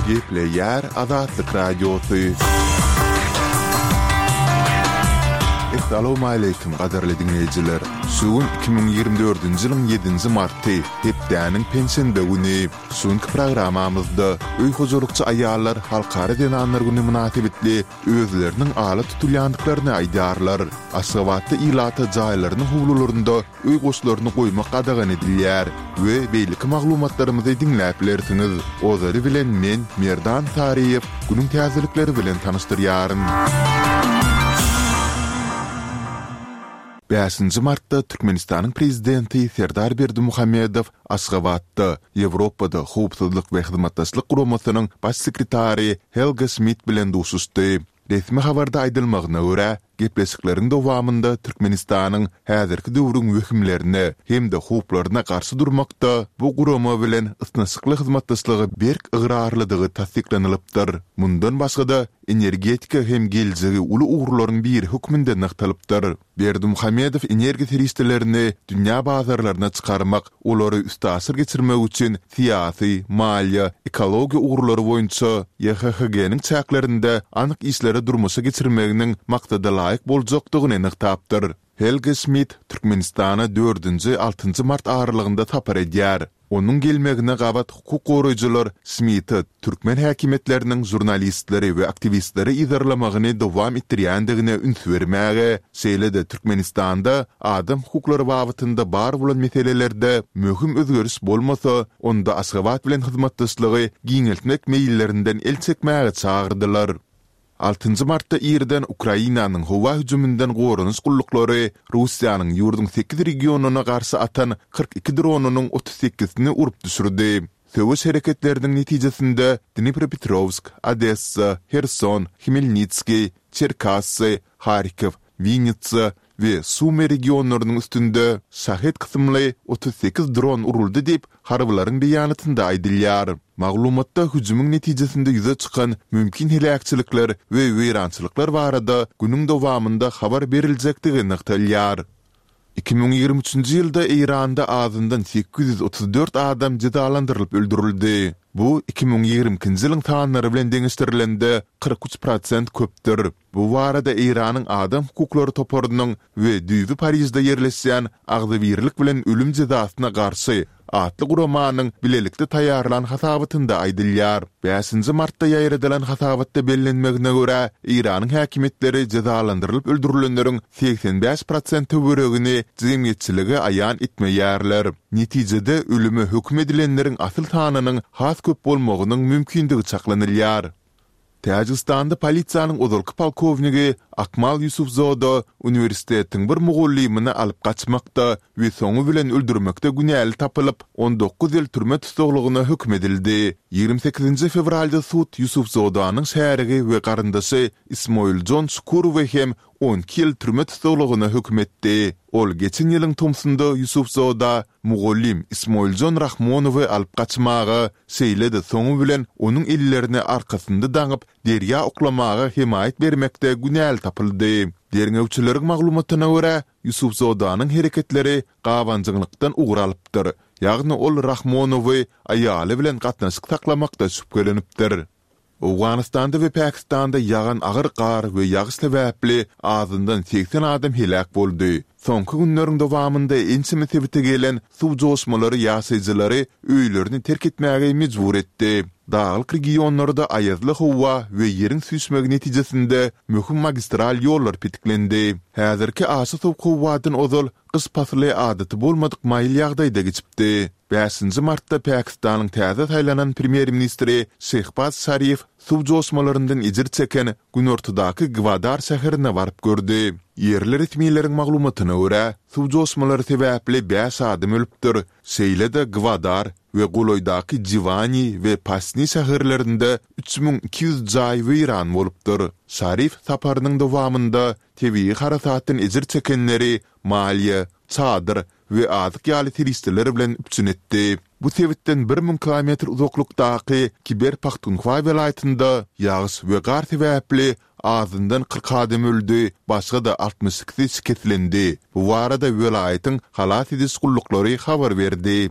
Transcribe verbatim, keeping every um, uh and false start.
Gepleýär Azatlyk Radiosy. Essalawmaleýkim gadyrly diňleýjiler! Şu gün iki müň ýigrimi dördünji ýylyň ýedinji marty, hepdäniň penşenbe güni. Şu günki programmamyzda öý hojalykçy aýallar Halkara zenanlar güni mynasybetli özleriniň ala tutulýandyklaryny aýdýarlar. Aşgabatda ilata jaýlarynyň howlularynda öý goşlaryny goýmak gadagan edilýär we beýleki maglumatlarymyzy diňläp bilersiňiz. Ozaly bilen men, Merdan Saryýew, günüň täzelikleri bilen tanyşdyrýaryn. Bäşinji martda Türkmenistanyň Prezidenti Serdar Berdimuhamedow Aşgabatda Ýewropada Howpsuzlyk we Hyzmatdaşlyk Guramasynyň Baş sekretary Helga Şmid bilen duşuşdy. Resmi habarda aýdylmagyna görä, gepleşikleriň dowamynda Türkmenistanyň häzirki döwrüň wehimlerine hem-de howplaryna garşy durmakda bu gurama bilen ysnyşykly hyzmatdaşlyga berk ygrarlydygy tassyklanylypdyr. Mundan başga-da, energetika hem geljegi uly ugurlaryň biri hökmünde nygtalypdyr. Berdimuhamedow energiýa serişdelerini dünýä bazarlaryna çykarmak, olary üstaşyr geçirmek üçin syýasy, maliýe, ekologiýa ugurlary boýunça YHHG-niň çäklerinde anyk işleri durmuşa geçirmeginiň maksada laýyk boljakdygyny nygtapdyr. Helge Şmidt Türkmenistana dördünji, altynjy mart aralygynda sapar edýär. Onuň gelmegine gabat hukuk goraýjylar Şmidte türkmen häkimiýetleriniň žurnalistleri we aktiwistleri yzarlamagyny dowam etdirýändigine üns bermäge, şeýle-de Türkmenistanda adam hukuklary babatynda bar bolan meselelerde möhüm özgeriş bolmasa, onda Aşgabat bilen hyzmatdaşlygy giňeltmek meýillerinden el çekmäge çagyrdylar. Altynjy martda irden Ukrainanyň howa hüjüminden goranyş gulluklary Russiýanyň ýurduň sekiz regionyna garşy atan kyrk iki dronynyň otuz sekizisini urup düşürdi. Söweş hereketleriniň netijesinde Dnipropetrowsk, Odessa, Herson, Hmelnitskiý, Çerkassy, Harkow, Winnitsa we Sumy regionlarynyň üstünde Şahed kysymly otuz sekiz dron uruldy diýip, harbylaryň beýanatynda aýdylýar. Maglumatda hüjümiň netijesinde ýüze çykan mümkin heläkçilikler we weýrançylyklar barada günüň dowamynda habar beriljekdigi nygtalýar. Iki müň ýigrimi üçünji ýylda Eýranda azyndan sekiz ýüz otuz dört adam jezalandyrylyp öldürildi. Bu iki müň ýigrimi ikinji ýylyň sanlary bilen deňeşdirilende kyrk üç prosent köpdür. Bu barada Eýranyň Adam hukuklary toparynyň we düýbi Parižde ýerleşýän Agzybirlik bilen ölüm jezasyna garşy atly guramanyň bilelikde taýýarlan hasabatynda aýdylýar. Bäşinji martda ýaýradylan hasabatda bellenmegine görä, Eýranyň häkimiýetleri jezalandyrylyp öldürilenleriň segsen bäş prosent töweregini jemgyýetçilige aýan etmeýärler. Netijede, ölüme höküm edilenleriň asyl sanynyň has köp bolmagynyň mümkindigi çaklanylýar. Täjigistanda polisiýanyň ozalky polkownigi Akmal Ýusufzoda uniwersitetiň bir mugallymyny alyp gaçmakda we soňy bilen öldürmekde günäli tapylyp, on dokuz ýyl türme tussaglygyna höküm edildi. Ýigrimi sekizinji fewralda sud Ýusufzodanyň şärigi we garyndaşy Ismoiljon Şukurowy hem on iki ýyl türme tussaglygyna höküm etdi. Ol geçen ýylyň tomsunda Ýusufzoda mugallym Ismoiljon Rahmonowy alyp gaçmaga, şeýle-de soňy bilen onuň ellerini arkasynda daňyp, derýa oklamaga hemaýat bermekde günäli tapyldy. Derňewçileriň maglumatyna görä, Ýusufzodanyň hereketleri gabanjyňlykdan ugur alypdyr, ýagny ol Rahmonowy aýaly bilen gatnaşyk saklamakda şübhelenipdir. Owganystanda we Pakistanda ýagan agyr gar we ýagyş sebäpli azyndan segsen adam heläk boldy. Soňky günleriň dowamynda ençeme sebite gelen suw joşmalary ýaşaýjylary öýlerini terk etmäge mejbur etdi. Daglyk regionlarda aýazly howa we ýeriň süýşmegi netijesinde möhüm magistral ýollar petiklendi. Häzirki aşa sowuk howadan ozal gyş pasly adaty bolmadyk maýyl ýagdaýda geçipdi. Bäşinji martda Pakistanyň täze saýlanan premýer-ministri Şehbaz Şarif suw joşmalaryndan ejir çeken günortadaky Gwadar şäherine baryp gördi. Ýerli resmileriň maglumatyna görä, suw joşmalary sebäpli bäş adam ölüpdir, şeýle-de Gwadar we golaýdaky Jiwani we Pasni şäherlerinde üç müň iki ýüz jaý weýran bolupdyr. Şarif saparynyň dowamynda tebigy harasatdan ejir çekenleri maliýe, çadyr we azyk ýaly serişdeler bilen üpjün etdi. Bu sebitden bir müň kilometr uzaklykdaky Kiber-Pahtunhwa welaýatynda ýagyş we gar sebäpli azyndan kyrk adam öldi, başga-da altmyş ikisi şikeslendi. Bu barada welaýatyň halas ediş gulluklary habar berdi.